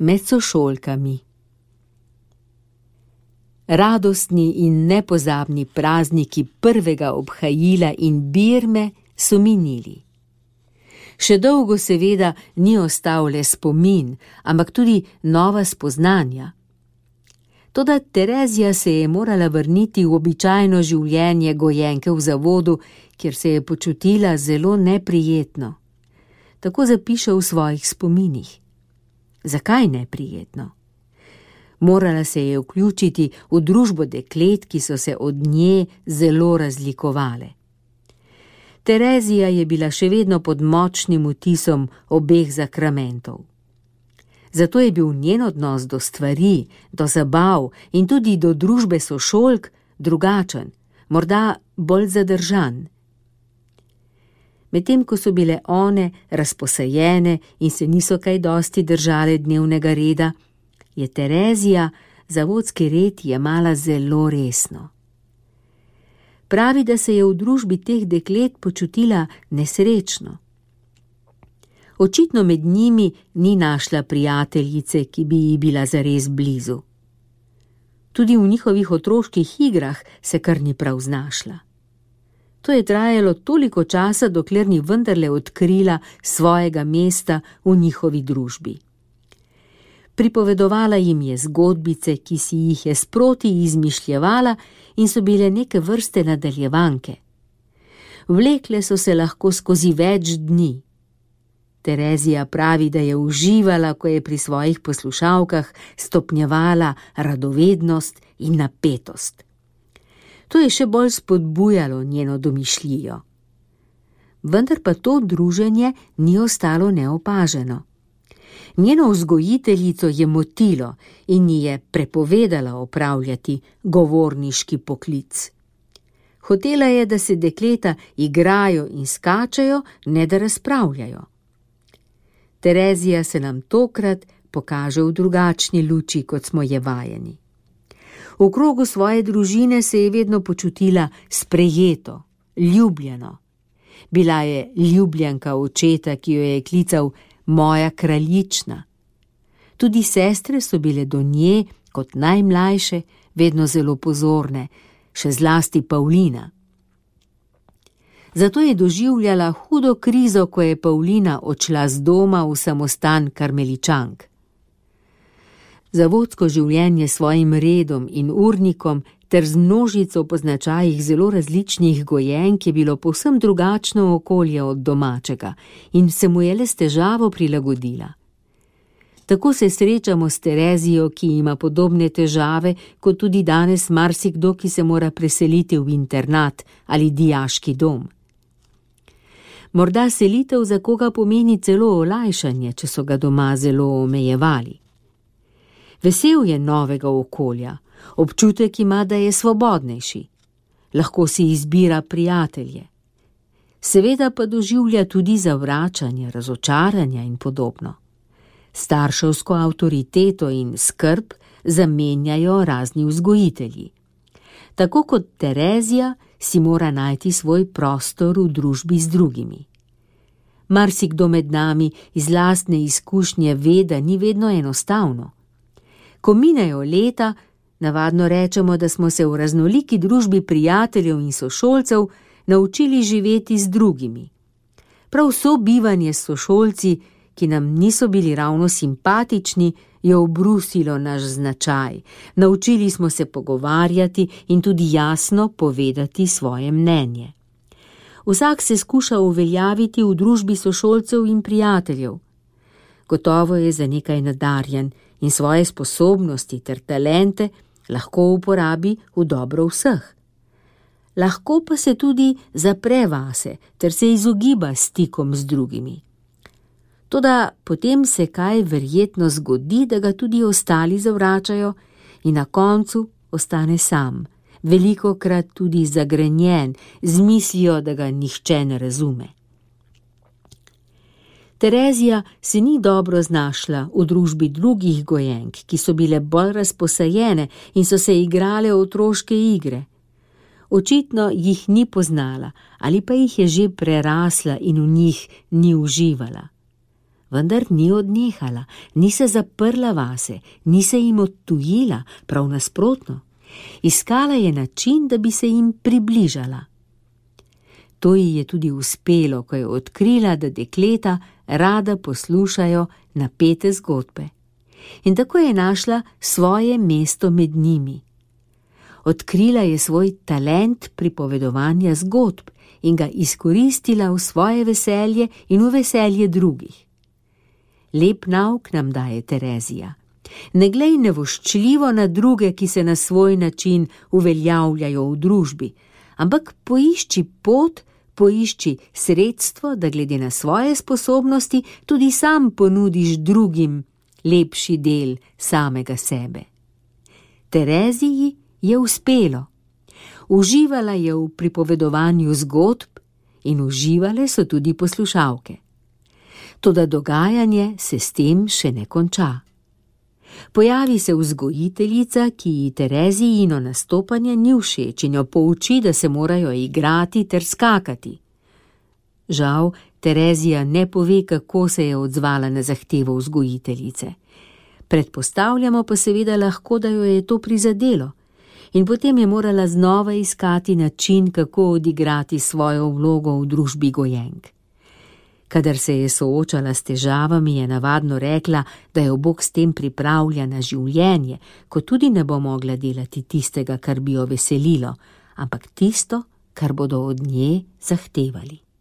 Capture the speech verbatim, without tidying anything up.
med sošolkami. Radostni in nepozabni prazniki prvega obhajila in birme so minili. Še dolgo seveda ni ostal le spomin, ampak tudi nova spoznanja. Toda Terezija se je morala vrniti v običajno življenje gojenke v zavodu, kjer se je počutila zelo neprijetno. Tako zapiše v svojih spominih. Zakaj neprijetno? Morala se je vključiti v družbo deklet, ki so se od nje zelo razlikovale. Terezija je bila še vedno pod močnim vtisom obeh zakramentov. Zato je bil njen odnos do stvari, do zabav in tudi do družbe sošolk drugačen, morda bolj zadržan. Medtem ko so bile one razposajene in se niso kaj dosti držale dnevnega reda, je Terezija zavodski red jemala zelo resno. Pravi, da se je v družbi teh deklet počutila nesrečno. Očitno med njimi ni našla prijateljice, ki bi ji bila zares blizu. Tudi v njihovih otroških igrah se kar ni prav znašla. To je trajalo toliko časa, dokler ni vendarle odkrila svojega mesta v njihovi družbi. Pripovedovala jim je zgodbice, ki si jih je sproti izmišljevala in so bile neke vrste nadaljevanke. Vlekle so se lahko skozi več dni. Terezija pravi, da je uživala, ko je pri svojih poslušalkah stopnjevala radovednost in napetost. To je še bolj spodbujalo njeno domišljijo. Vendar pa to druženje ni ostalo neopaženo. Njeno vzgojiteljico je motilo in ji je prepovedala opravljati govorniški poklic. Hotela je, da se dekleta igrajo in skačejo, ne da razpravljajo. Terezija se nam tokrat pokaže v drugačni luči, kot smo je vajeni. V krogu svoje družine se je vedno počutila sprejeto, ljubljeno. Bila je ljubljenka očeta, ki jo je klical moja kraljična. Tudi sestre so bile do nje, kot najmlajše, vedno zelo pozorne, še zlasti Pavlina. Zato je doživljala hudo krizo, ko je Pavlina odšla z doma v samostan Karmeličank. Zavodsko življenje s svojim redom in urnikom ter z množico po značajih zelo različnih gojenk je bilo povsem drugačno okolje od domačega in se mu je le s težavo prilagodila. Tako se srečamo s Terezijo, ki ima podobne težave, kot tudi danes marsikdo, ki se mora preseliti v internat ali dijaški dom. Morda selitev za koga pomeni celo olajšanje, če so ga doma zelo omejevali. Vesel je novega okolja, občutek ima, da je svobodnejši. Lahko si izbira prijatelje. Seveda pa doživlja tudi zavračanje, razočaranja in podobno. Starševsko avtoriteto in skrb zamenjajo razni vzgojitelji. Tako kot Terezija si mora najti svoj prostor v družbi z drugimi. Marsikdo med nami iz lastne izkušnje ve, da ni vedno enostavno. Ko minejo leta, navadno rečemo, da smo se v raznoliki družbi prijateljev in sošolcev naučili živeti z drugimi. Prav sobivanje s sošolci, ki nam niso bili ravno simpatični, je obrusilo naš značaj. Naučili smo se pogovarjati in tudi jasno povedati svoje mnenje. Vsak se skuša uveljaviti v družbi sošolcev in prijateljev. Gotovo je za nekaj nadarjen in svoje sposobnosti ter talente lahko uporabi v dobro vseh. Lahko pa se tudi zapre vase ter se izogiba stikom z drugimi. Toda potem se kaj verjetno zgodi, da ga tudi ostali zavračajo in na koncu ostane sam, velikokrat tudi zagrenjen, z mislijo, da ga nihče ne razume. Terezija se ni dobro znašla v družbi drugih gojenk, ki so bile bolj razposajene in so se igrale otroške igre. Očitno jih ni poznala ali pa jih je že prerasla in v njih ni uživala. vendar ni odnehala, ni se zaprla vase, ni se jim odtujila, prav nasprotno. Iskala je način, da bi se jim približala. To ji je tudi uspelo, ko je odkrila, da dekleta rada poslušajo napete zgodbe. In tako je našla svoje mesto med njimi. Odkrila je svoj talent pripovedovanja zgodb in ga izkoristila v svoje veselje in v veselje drugih. Lep nauk nam daje Terezija. Ne glej nevoščljivo na druge, ki se na svoj način uveljavljajo v družbi, ampak poišči pot, poišči sredstvo, da glede na svoje sposobnosti tudi sam ponudiš drugim lepši del samega sebe. Tereziji je uspelo. Uživala je v pripovedovanju zgodb in uživale so tudi poslušalke. Toda dogajanje se s tem še ne konča. Pojavi se vzgojiteljica, ki ji Terezijino nastopanje ni všeč in jo pouči, da se morajo igrati ter skakati. Žal, Terezija ne pove, kako se je odzvala na zahtevo vzgojiteljice. Predpostavljamo pa seveda lahko, da jo je to prizadelo in potem je morala znova iskati način, kako odigrati svojo vlogo v družbi gojenk. Kadar se je soočala s težavami, je navadno rekla, da jo Bog s tem pripravlja na življenje, ko tudi ne bo mogla delati tistega, kar bi jo veselilo, ampak tisto, kar bodo od nje zahtevali.